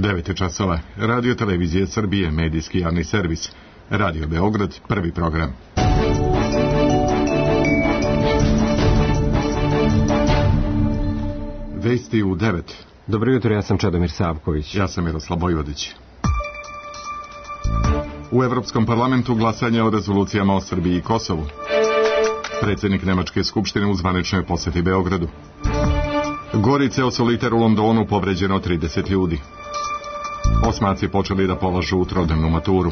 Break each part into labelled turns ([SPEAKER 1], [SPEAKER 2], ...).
[SPEAKER 1] 9 časova. Radio Televizije Srbije, medijski javni servis. Radio Beograd, prvi program. Vesti u 9.
[SPEAKER 2] Dobro jutro, ja sam Čedomir Savković.
[SPEAKER 1] Ja sam Miroslav Bojvodić. U Evropskom parlamentu glasanje o rezolucijama o Srbiji i Kosovu. Predsjednik Nemačke skupštine u zvaničnoj posjeti Beogradu. Gorice o soliter u Londonu, povređeno 30 ljudi. Osmaci počeli da polažu trodnevnu maturu.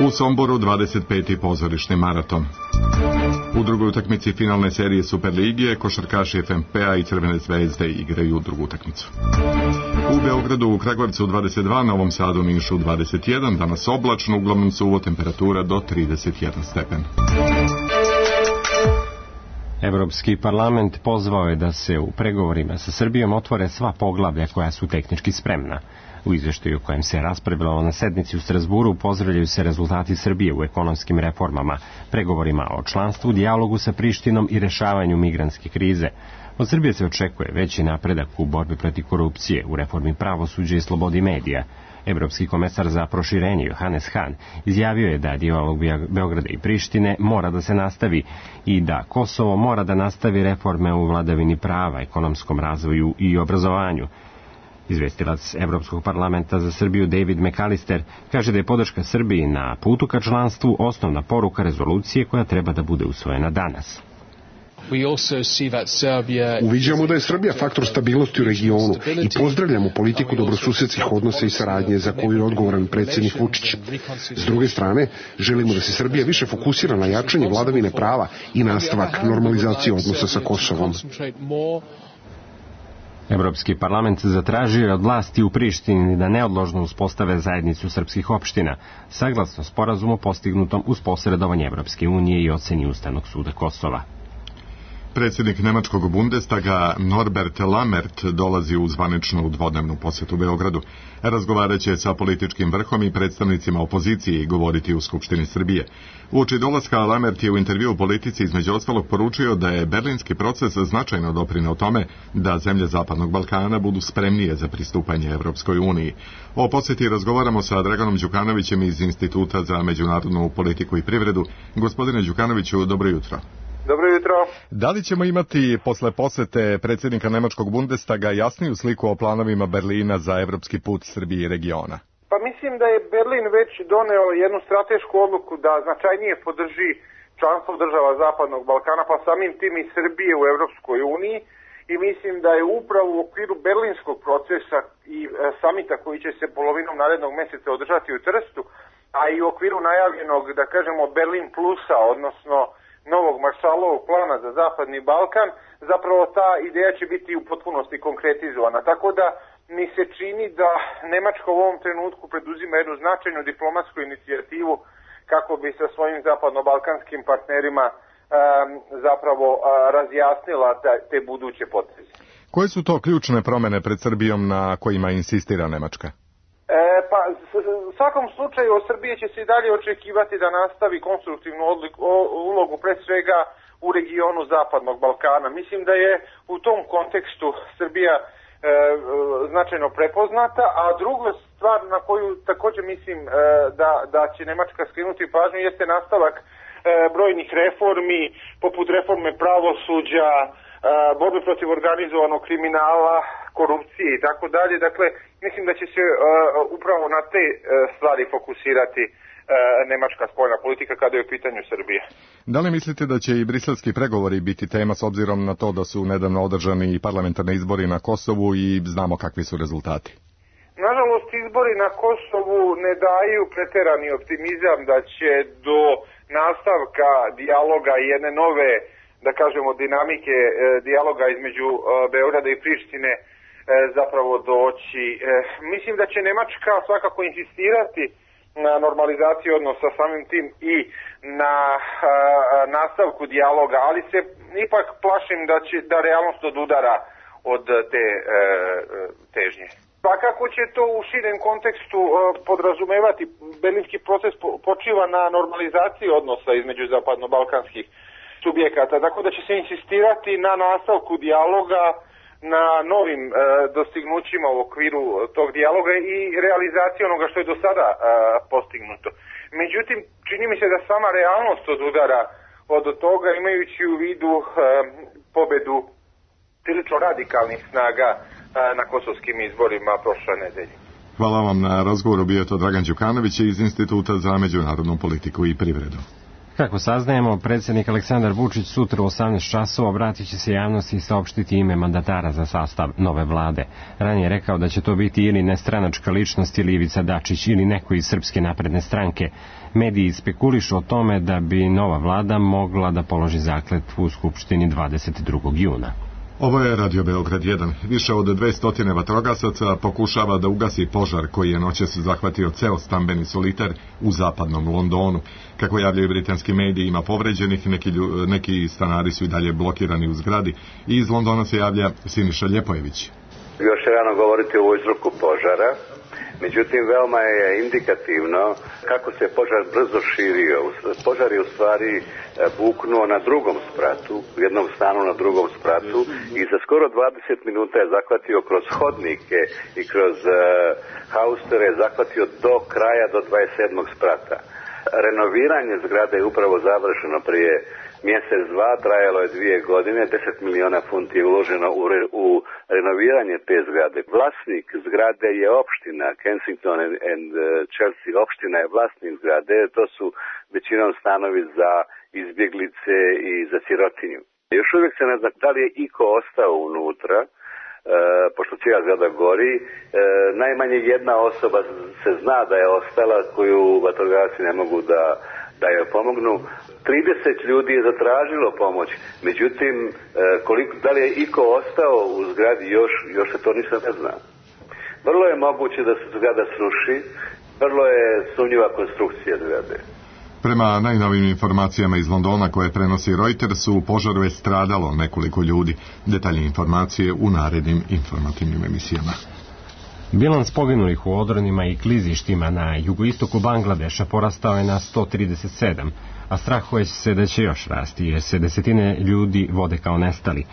[SPEAKER 1] U Somboru 25. pozorišni maraton. U drugoj utakmici finalne serije Superligije košarkaši FNP-a i Crvene zvezde igraju drugu utakmicu. U Beogradu, u Kragujevcu 22, Novom Sadu, Nišu 21, danas oblačno, uglavnom suvo, temperatura do 31 stepen.
[SPEAKER 2] Evropski parlament pozvao je da se u pregovorima sa Srbijom otvore sva poglavlja koja su tehnički spremna. U izveštaju o kojem se raspravljalo na sednici u Strasburu pozdravljaju se rezultati Srbije u ekonomskim reformama, pregovorima o članstvu, dijalogu sa Prištinom i rešavanju migrantske krize. Od Srbije se očekuje veći napredak u borbi protiv korupcije, u reformi pravosuđa i slobodi medija. Evropski komesar za proširenje Johannes Hahn izjavio je da dijalog Beograda i Prištine mora da se nastavi i da Kosovo mora da nastavi reforme u vladavini prava, ekonomskom razvoju i obrazovanju. Izvestilac Evropskog parlamenta za Srbiju David McAllister kaže da je podrška Srbiji na putu ka članstvu osnovna poruka rezolucije koja treba da bude usvojena danas.
[SPEAKER 3] Uviđamo da je Srbija faktor stabilnosti u regionu i pozdravljamo politiku dobrosusedskih odnosa i saradnje za koju je odgovoran predsjednik Vučić. S druge strane, želimo da se Srbija više fokusira na jačanje vladavine prava i nastavak normalizacije odnosa sa Kosovom.
[SPEAKER 2] Evropski parlament zatražio je od vlasti u Prištini da neodložno uspostave zajednicu srpskih opština, saglasno sporazumu postignutom uz posredovanje Evropske unije i oceni Ustavnog suda Kosova.
[SPEAKER 1] Predsjednik Nemačkog Bundestaga Norbert Lammert dolazi u zvaničnu dvodnevnu posjetu Beogradu. Razgovarat će sa političkim vrhom i predstavnicima opozicije i govoriti u Skupštini Srbije. Uoči dolaska Lammert je u intervju u Politici između ostalog poručio da je berlinski proces značajno doprineo tome da zemlje Zapadnog Balkana budu spremnije za pristupanje Evropskoj uniji. O posjeti razgovaramo sa Draganom Đukanovićem iz Instituta za međunarodnu politiku i privredu. Gospodine Đukanoviću, dobro jutro.
[SPEAKER 4] Dobro jutro.
[SPEAKER 1] Da li ćemo imati posle posete predsjednika Nemačkog Bundestaga jasniju sliku o planovima Berlina za evropski put Srbije i regiona?
[SPEAKER 4] Pa mislim da je Berlin već doneo jednu stratešku odluku da značajnije podrži članstvo država Zapadnog Balkana, pa samim tim i Srbije u Evropskoj uniji, i mislim da je upravo u okviru berlinskog procesa i samita koji će se polovinom narednog mjeseca održati u Trstu, a i u okviru najavljenog, da kažemo, Berlin plusa, odnosno novog Maršalovog plana za Zapadni Balkan, zapravo ta ideja će biti u potpunosti konkretizovana. Tako da mi se čini da Nemačka u ovom trenutku preduzima jednu značajnu diplomatsku inicijativu kako bi sa svojim zapadno-balkanskim partnerima zapravo razjasnila te buduće poteze.
[SPEAKER 1] Koje su to ključne promjene pred Srbijom na kojima insistira Nemačka?
[SPEAKER 4] Pa u svakom slučaju od Srbije će se i dalje očekivati da nastavi konstruktivnu ulogu pre svega u regionu Zapadnog Balkana. Mislim da je u tom kontekstu Srbija značajno prepoznata, a druga stvar na koju također mislim da će Nemačka skrenuti pažnju jeste nastavak brojnih reformi, poput reforme pravosuđa, borbe protiv organizovanog kriminala, korupcije i tako dalje. Dakle, mislim da će se upravo na te stvari fokusirati nemačka spoljna politika kada je u pitanju Srbije.
[SPEAKER 1] Da li mislite da će i briselski pregovori biti tema s obzirom na to da su nedavno održani parlamentarni izbori na Kosovu i znamo kakvi su rezultati?
[SPEAKER 4] Nažalost, izbori na Kosovu ne daju preterani optimizam da će do nastavka dijaloga i jedne nove, da kažemo, dinamike dijaloga između Beograda i Prištine zapravo doći. Mislim da će Nemačka svakako insistirati na normalizaciji odnosa, samim tim i na nastavku dijaloga, ali se ipak plašim da realnost odudara od te težnje. Svakako će to u širem kontekstu podrazumevati. Berlinski proces počiva na normalizaciji odnosa između zapadno-balkanskih subjekata, tako da će se insistirati na nastavku dijaloga na novim dostignućima u okviru tog dijaloga i realizaciji onoga što je do sada postignuto. Međutim, čini mi se da sama realnost odudara od toga, imajući u vidu pobedu prilično radikalnih snaga na kosovskim izborima prošle nedelje.
[SPEAKER 1] Hvala vam na razgovoru, bio je to Dragan Đukanović iz Instituta za međunarodnu politiku i privredu.
[SPEAKER 2] Kako saznajemo, predsjednik Aleksandar Vučić sutra u 18 časova obratit će se javnosti i saopštiti ime mandatara za sastav nove vlade. Ranije je rekao da će to biti ili nestranačka ličnost ili Ivica Dačić ili neko iz Srpske napredne stranke. Mediji spekulišu o tome da bi nova vlada mogla da položi zakletvu u Skupštini 22. juna.
[SPEAKER 1] Ovo je Radio Beograd 1. Više od 200 vatrogasaca pokušava da ugasi požar koji je noćas zahvatio ceo stambeni solitar u zapadnom Londonu. Kako javljaju britanski mediji, ima povređenih, neki stanari su i dalje blokirani u zgradi i iz Londona se javlja Siniša Ljepojević.
[SPEAKER 5] Još je rano govoriti o uzroku požara. Međutim, veoma je indikativno kako se požar brzo širio. Požar je u stvari buknuo na drugom spratu, u jednom stanu na drugom spratu i za skoro 20 minuta je zahvatio kroz hodnike i kroz haustere, je zahvatio do kraja, do 27. sprata. Renoviranje zgrade je upravo završeno prije mjesec, dva, trajalo je 2 godine, 10 miliona funti je uloženo u renoviranje te zgrade. Vlasnik zgrade je opština, Kensington and Chelsea opština je vlasnik zgrade, to su većinom stanovi za izbjeglice i za sirotinju. Još uvijek se ne zna da li je iko ostao unutra, pošto cijela zgrada gori, najmanje jedna osoba se zna da je ostala koju vatrogasci ne mogu da joj pomognu. 30 ljudi je zatražilo pomoć, međutim, da li je iko ostao u zgradi, još se to ništa ne zna. Vrlo je moguće da se zgrada sruši, vrlo je sumnjiva konstrukcija zgrade.
[SPEAKER 1] Prema najnovim informacijama iz Londona koje prenosi Reuters, u požaru je stradalo nekoliko ljudi. Detaljne informacije u narednim informativnim emisijama.
[SPEAKER 2] Bilans poginulih u odronima i klizištima na jugoistoku Bangladeša porastao je na 137, a strahuje se da će još rasti, jer se desetine ljudi vode kao nestali.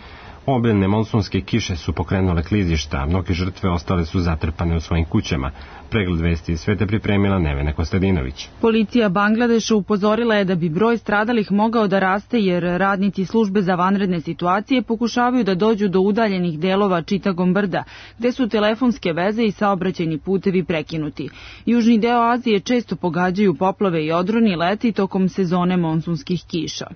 [SPEAKER 2] Obilne monsunske kiše su pokrenule klizišta, a mnoge žrtve ostale su zatrpane u svojim kućama. Pregled vesti iz sveta pripremila Nevena Kostadinović.
[SPEAKER 6] Policija Bangladeša upozorila je da bi broj stradalih mogao da raste jer radnici službe za vanredne situacije pokušavaju da dođu do udaljenih delova Chittagong brda, gde su telefonske veze i saobraćajni putevi prekinuti. Južni deo Azije često pogađaju poplave i odroni leti tokom sezone monsunskih kiša.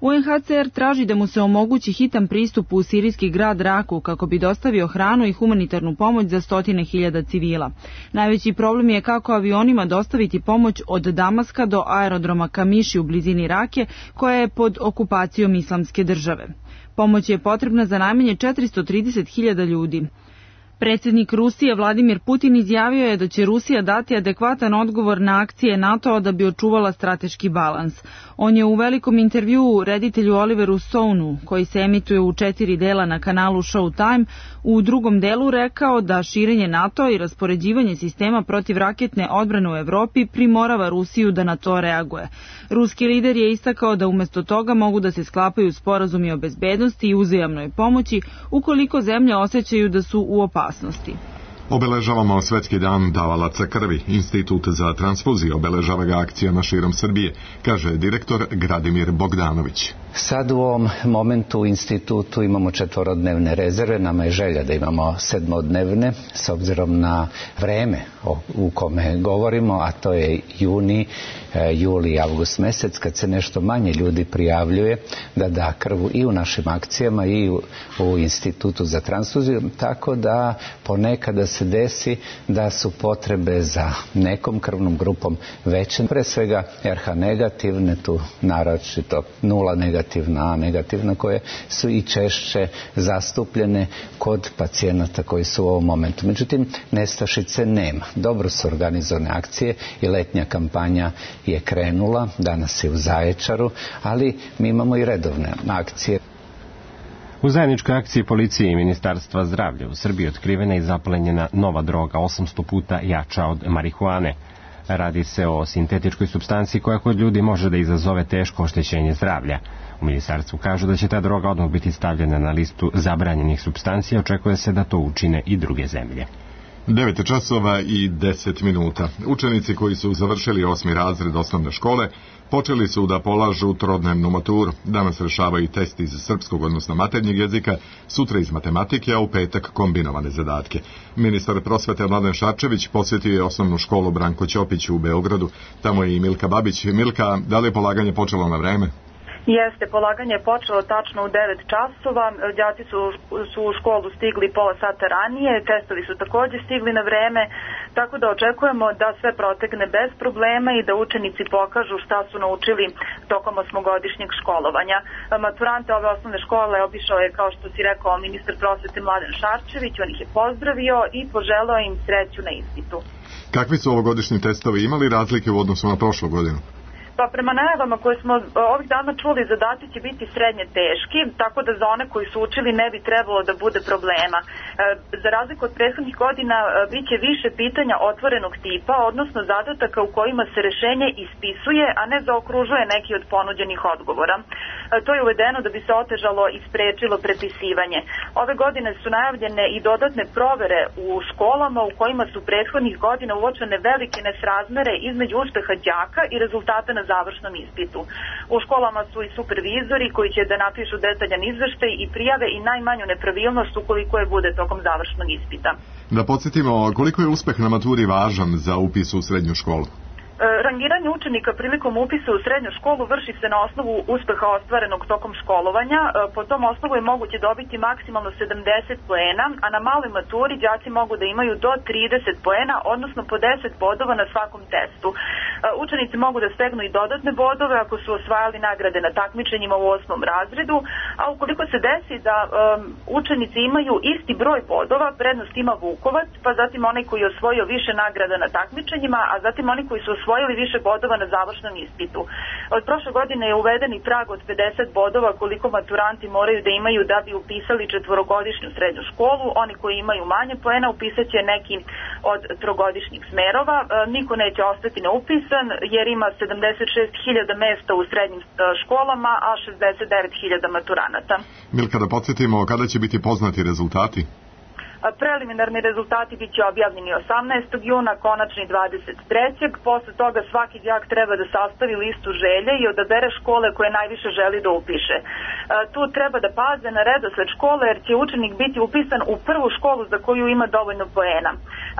[SPEAKER 6] UNHCR traži da mu se omogući hitan pristup u sirijski grad Raku kako bi dostavio hranu i humanitarnu pomoć za 100.000 civila. Najveći problem je kako avionima dostaviti pomoć od Damaska do aerodroma Kamiši u blizini Rake, koja je pod okupacijom Islamske države. Pomoć je potrebna za najmanje 430.000 ljudi. Predsjednik Rusije Vladimir Putin izjavio je da će Rusija dati adekvatan odgovor na akcije NATO-a da bi očuvala strateški balans. On je u velikom intervjuu reditelju Oliveru Stonu, koji se emituje u 4 dela na kanalu Showtime, u drugom delu rekao da širenje NATO i raspoređivanje sistema protivraketne odbrane u Evropi primorava Rusiju da na to reaguje. Ruski lider je istakao da umjesto toga mogu da se sklapaju sporazumi o bezbednosti i uzajamnoj pomoći ukoliko zemlje osjećaju da su u opasnosti.
[SPEAKER 1] Obeležavamo Svetski dan davalaca krvi. Institut za transfuziju obeležava ga akcijama širom Srbije, kaže direktor Gradimir Bogdanović.
[SPEAKER 7] Sad u ovom momentu u institutu imamo 4-dnevne rezerve, nama je želja da imamo 7-dnevne, s obzirom na vreme u kome govorimo, a to je juni, juli i avgust mesec, kad se nešto manje ljudi prijavljuje da da krvu i u našim akcijama i u institutu za transfuziju, tako da ponekada se desi da su potrebe za nekom krvnom grupom veće, pre svega RH negativne, tu naročito 0 negativna, A negativna, koje su i češće zastupljene kod pacijenata koji su u ovom momentu. Međutim, nestašice nema. Dobro su organizovane akcije i letnja kampanja je krenula, danas je u Zaječaru, ali mi imamo i redovne akcije.
[SPEAKER 2] U zajedničkoj akciji policije i Ministarstva zdravlja u Srbiji otkrivena i zaplenjena nova droga 800 puta jača od marihuane. Radi se o sintetičkoj supstanciji koja kod ljudi može da izazove teško oštećenje zdravlja. U ministarstvu kažu da će ta droga odmah biti stavljena na listu zabranjenih supstanci, očekuje se da to učine i druge zemlje.
[SPEAKER 1] 9 časova i 10 minuta. Učenici koji su završili 8. razred osnovne škole počeli su da polažu trodnevnu maturu. Danas rešavaju test iz srpskog, odnosno maternjeg jezika, sutra iz matematike, a u petak kombinovane zadatke. Ministar prosvete Mladen Šarčević posjetio je osnovnu školu Branko Ćopić u Beogradu. Tamo je i Milka Babić. Milka, da li je polaganje počelo na vreme?
[SPEAKER 8] Jeste, polaganje je počelo tačno u 9 časova, đaci su u školu stigli pola sata ranije, testovi su također stigli na vreme, tako da očekujemo da sve protekne bez problema i da učenici pokažu šta su naučili tokom osmogodišnjeg školovanja. Maturante ove osnovne škole obišao je, kao što si rekao, ministar prosvete Mladen Šarčević, on ih je pozdravio i poželeo im sreću na ispitu.
[SPEAKER 1] Kakvi su ovogodišnji testovi, imali razlike u odnosu na prošlu godinu?
[SPEAKER 8] Pa prema najavama koje smo ovih dana čuli, zadaci će biti srednje teški, tako da za one koji su učili ne bi trebalo da bude problema. Za razliku od prethodnih godina bit će više pitanja otvorenog tipa, odnosno zadataka u kojima se rešenje ispisuje, a ne zaokružuje neki od ponuđenih odgovora. To je uvedeno da bi se otežalo i sprečilo prepisivanje. Ove godine su najavljene i dodatne provere u školama u kojima su prethodnih godina uočene velike nesrazmere između uspeha đaka i rezultata na završnom ispitu. U školama su i supervizori koji će da napišu detaljan izveštaj i prijave i najmanju nepravilnost ukoliko je bude tokom završnog ispita.
[SPEAKER 1] Da podsjetimo, koliko je uspeh na maturi važan za upis u srednju školu?
[SPEAKER 8] Rangiranje učenika prilikom upisa u srednju školu vrši se na osnovu uspeha ostvarenog tokom školovanja. Po tom osnovu je moguće dobiti maksimalno 70 poena, a na maloj maturi đaci mogu da imaju do 30 poena, odnosno po 10 bodova na svakom testu. Učenici mogu da stegnu i dodatne bodove ako su osvajali nagrade na takmičenjima u 8. razredu, a ukoliko se desi da učenici imaju isti broj bodova, prednost ima Vukovac, pa zatim onaj koji je osvojio više nagrada na takmičenjima, a zatim oni koji su osvojili više bodova na završnom ispitu. Od prošle godine je uveden i prag od 50 bodova koliko maturanti moraju da imaju da bi upisali četvorogodišnju srednju školu. Oni koji imaju manje poena upisat će neki od trogodišnjih smerova. Niko neće ostati neupisan jer ima 76.000 mesta u srednjim školama, a 69.000 maturanata.
[SPEAKER 1] Milka, da podsjetimo, kada će biti poznati rezultati?
[SPEAKER 8] Preliminarni rezultati bit će objavljeni 18. juna, konačni 23. Posle toga svaki đak treba da sastavi listu želje i odabere škole koje najviše želi da upiše. Tu treba da paze na redosled škole jer će učenik biti upisan u prvu školu za koju ima dovoljno poena.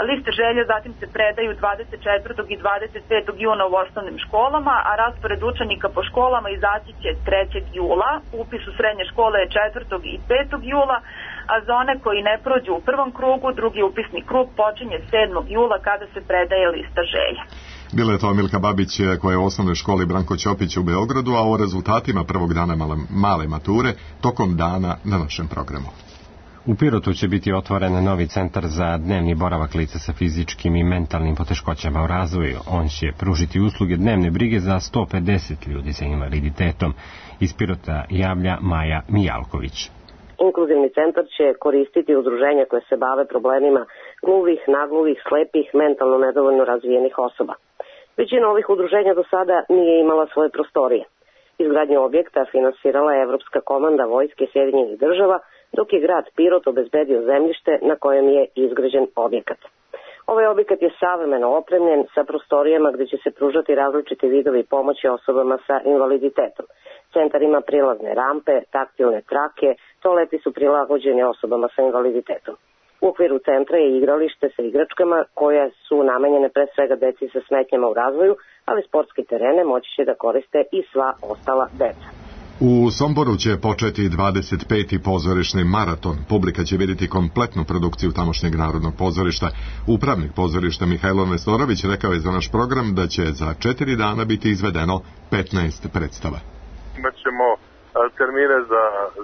[SPEAKER 8] Liste želje zatim se predaju 24. i 25. juna u osnovnim školama, a raspored učenika po školama izaći će 3. jula. Upis u srednje škole je 4. i 5. jula, a za one koji ne prođu u prvom krugu, drugi upisni krug počinje 7. jula kada se predaje lista želja.
[SPEAKER 1] Bila je to Milka Babić koja je u osnovnoj školi Branko Ćopić u Beogradu, a o rezultatima prvog dana male mature tokom dana na našem programu.
[SPEAKER 2] U Pirotu će biti otvoren novi centar za dnevni boravak lica sa fizičkim i mentalnim poteškoćama u razvoju. On će pružiti usluge dnevne brige za 150 ljudi sa invaliditetom. Iz Pirota javlja Maja Mijalković.
[SPEAKER 9] Inkluzivni centar će koristiti udruženja koje se bave problemima gluvih, nagluvih, slepih, mentalno nedovoljno razvijenih osoba. Većina ovih udruženja do sada nije imala svoje prostorije. Izgradnju objekta finansirala je Evropska komanda Vojske Sjedinjenih država, dok je grad Pirot obezbedio zemljište na kojem je izgrađen objekat. Ovaj objekat je savremeno opremljen sa prostorijama gdje će se pružati različiti vidovi pomoći osobama sa invaliditetom. Centar ima prilazne rampe, taktilne trake, toaleti su prilagođeni osobama sa invaliditetom. U okviru centra je igralište sa igračkama koje su namenjene pre svega deci sa smetnjama u razvoju, ali sportski terene moći će da koriste i sva ostala deca.
[SPEAKER 1] U Somboru će početi 25. pozorišni maraton. Publika će vidjeti kompletnu produkciju tamošnjeg Narodnog pozorišta. Upravnik pozorišta Mihajlo Nestorović rekao je za naš program da će za 4 dana biti izvedeno 15 predstava.
[SPEAKER 10] Imaćemo termine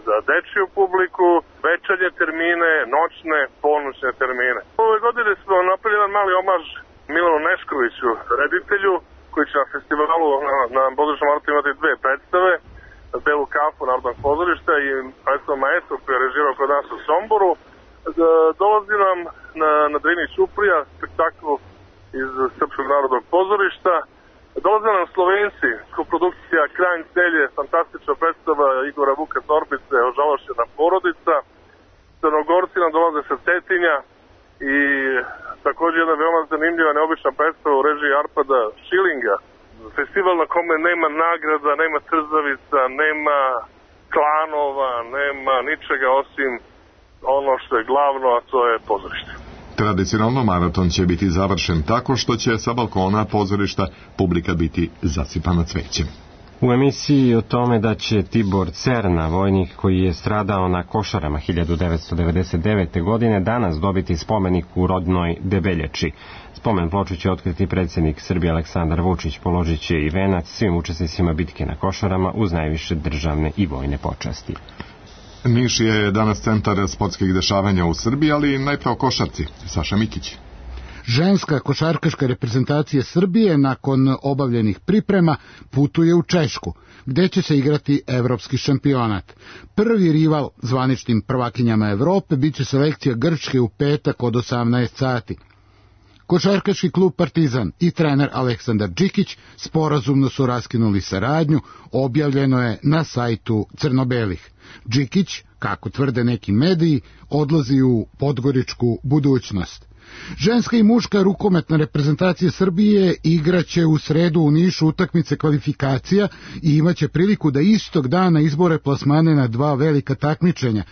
[SPEAKER 10] za dečiju publiku, večernje termine, noćne, ponoćne termine. Ove godine smo napravili jedan mali omaž Milanu Neškoviću, reditelju, koji će na festivalu na pozorišnom maratonu imati 2 predstave, Belu kafu Narodnog pozorišta i predstavu Maestro koji je režirao kod nas u Somboru. Dolazi nam na Drini Ćuprija spektakl iz Srpskog narodnog pozorišta Dolaze nam Slovenci, koprodukcija Krajnj celje, fantastična predstava Igora Vuka Torbice, Ožalošćena porodica. Crnogorci nam dolaze sa Cetinja i također jedna veoma zanimljiva, neobična predstava u režiji Arpada Šilinga. Festival na kome nema nagrada, nema trzavica, nema klanova, nema ničega osim ono što je glavno, a to je pozorište.
[SPEAKER 1] Tradicionalno maraton će biti završen tako što će sa balkona pozorišta publika biti zasipana cvećem.
[SPEAKER 2] U emisiji o tome da će Tibor Cerna, vojnik koji je stradao na Košarama 1999. godine, danas dobiti spomenik u rodnoj Debeljači. Spomen ploču će otkriti predsjednik Srbije Aleksandar Vučić, položit će i venac svim učesnicima bitke na Košarama uz najviše državne i vojne počasti.
[SPEAKER 1] Niš je danas centar sportskih dešavanja u Srbiji, ali najpre o košarci. Saša Mikić.
[SPEAKER 11] Ženska košarkaška reprezentacija Srbije nakon obavljenih priprema putuje u Češku, gde će se igrati evropski šampionat. Prvi rival zvaničnim prvakinjama Evrope biće selekcija Grčke u petak od 18 sati. Košarkaški klub Partizan i trener Aleksandar Đikić sporazumno su raskinuli saradnju, objavljeno je na sajtu Crnobelih. Đikić, kako tvrde neki mediji, odlazi u podgoričku budućnost. Ženska i muška rukometna reprezentacija Srbije igraće u sredu u Nišu utakmice kvalifikacija i imaće priliku da istog dana izbore plasmane na dva velika takmičenja.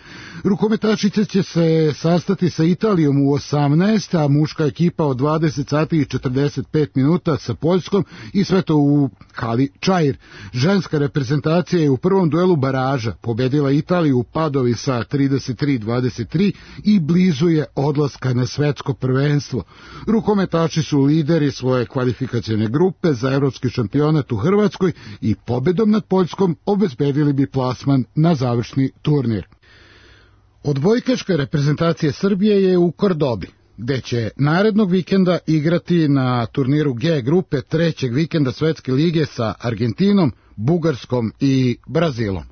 [SPEAKER 11] Rukometašice će se sastati sa Italijom u 18, a muška ekipa od 20 sati i 45 minuta sa Poljskom i sve to u hali Čair. Ženska reprezentacija je u prvom duelu baraža pobedila Italiju u Padovi sa 33-23 i blizu je odlaska na svetsko prvenstvo. Rukometaši su lideri svoje kvalifikacione grupe za evropski šampionat u Hrvatskoj i pobedom nad Poljskom obezbedili bi plasman na završni turnir. Odbojkaška reprezentacija Srbije je u Kordobi, gde će narednog vikenda igrati na turniru G grupe trećeg vikenda Svetske lige sa Argentinom, Bugarskom i Brazilom.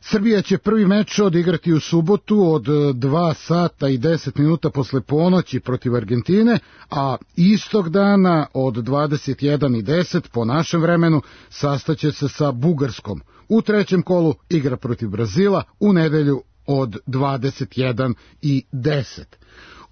[SPEAKER 11] Srbija će prvi meč odigrati u subotu od 2 sata i 10 minuta posle ponoći protiv Argentine, a istog dana od 21:10 po našem vremenu sastaće se sa Bugarskom. U trećem kolu igra protiv Brazila u nedelju od 21:10.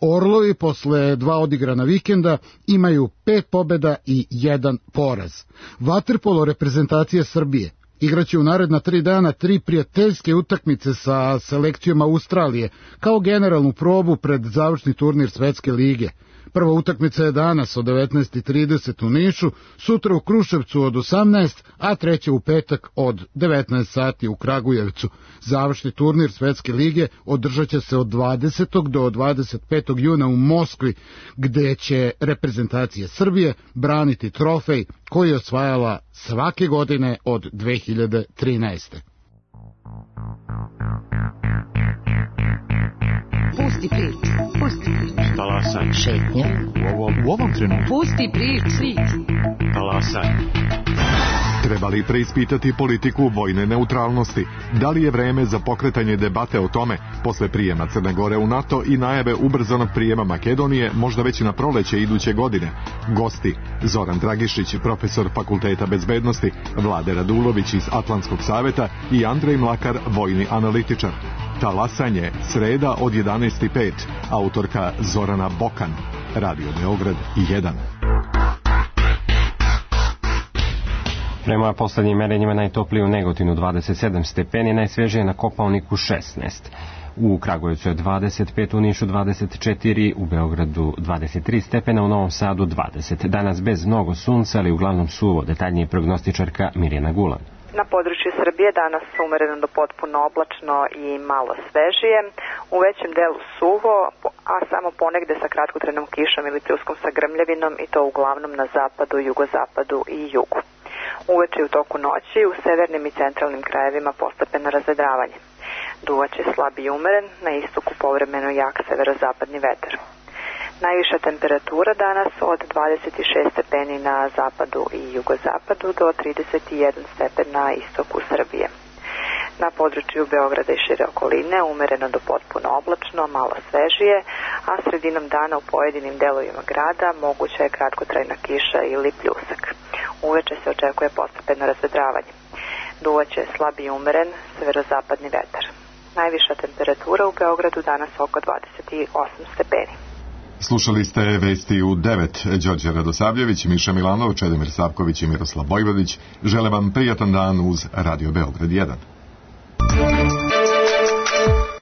[SPEAKER 11] Orlovi posle 2 odigrana vikenda imaju 5 pobjeda i 1 poraz. Vaterpolo reprezentacija Srbije igraće u naredna 3 dana 3 prijateljske utakmice sa selekcijom Australije kao generalnu probu pred završni turnir Svetske lige. Prva utakmica je danas od 19:30 u Nišu, sutra u Kruševcu od 18, a treća u petak od 19 sati u Kragujevcu. Završni turnir Svetske lige održat će se od 20. do 25. juna u Moskvi, gde će reprezentacija Srbije braniti trofej koji je osvajala svake godine od 2013.
[SPEAKER 12] Pusti priču, pusti priču.
[SPEAKER 2] Talasaj.
[SPEAKER 12] Šetnja.
[SPEAKER 2] U ovom trenutku.
[SPEAKER 12] Pusti priču.
[SPEAKER 2] Talasaj.
[SPEAKER 1] Treba li preispitati politiku vojne neutralnosti? Da li je vreme za pokretanje debate o tome posle prijema Crne Gore u NATO i najave ubrzanog prijema Makedonije, možda već na proleće iduće godine? Gosti: Zoran Dragišić, profesor Fakulteta bezbednosti, Vlade Radulović iz Atlantskog saveta i Andrej Mlakar, vojni analitičar. Talasanje, sreda od 11:05, autorka Zorana Bokan, Radio Beograd 1.
[SPEAKER 2] Prema poslednjim merenjima najtoplije u Negotinu 27 stepeni, najsvežije na Kopaoniku 16. U Kragujevcu je 25, u Nišu 24, u Beogradu 23 stepena, u Novom Sadu 20. Danas bez mnogo sunca, ali uglavnom suvo, detaljnije prognostičarka Mirjana Gulan.
[SPEAKER 13] Na području Srbije danas umereno do potpuno oblačno i malo svežije, u većem delu suvo, a samo ponegde sa kratkotrenom kišom ili pljuskom sa grmljavinom i to uglavnom na zapadu, jugozapadu i jugu. Uveče u toku noći u severnim i centralnim krajevima postepeno razvedravanje. Duvaće slab i umeren, na istoku povremeno jak severozapadni vetar. Najviša temperatura danas od 26 stepeni na zapadu i jugozapadu do 31 stepen na istoku Srbije. Na području Beograda i šire okoline umereno do potpuno oblačno, malo svežije, a sredinom dana u pojedinim delovima grada moguća je kratkotrajna kiša ili pljusak. Uveče se očekuje postepeno razvedravanje. Duvaće slab i umeren severozapadni vetar. Najviša temperatura u Beogradu danas oko 28 stepeni.
[SPEAKER 1] Slušali ste vesti u 9. Đorđe Radosavljević, Miša Milanov, Čedomir Savković i Miroslav Bojvodić. Žele vam prijatan dan uz Radio Beograd 1.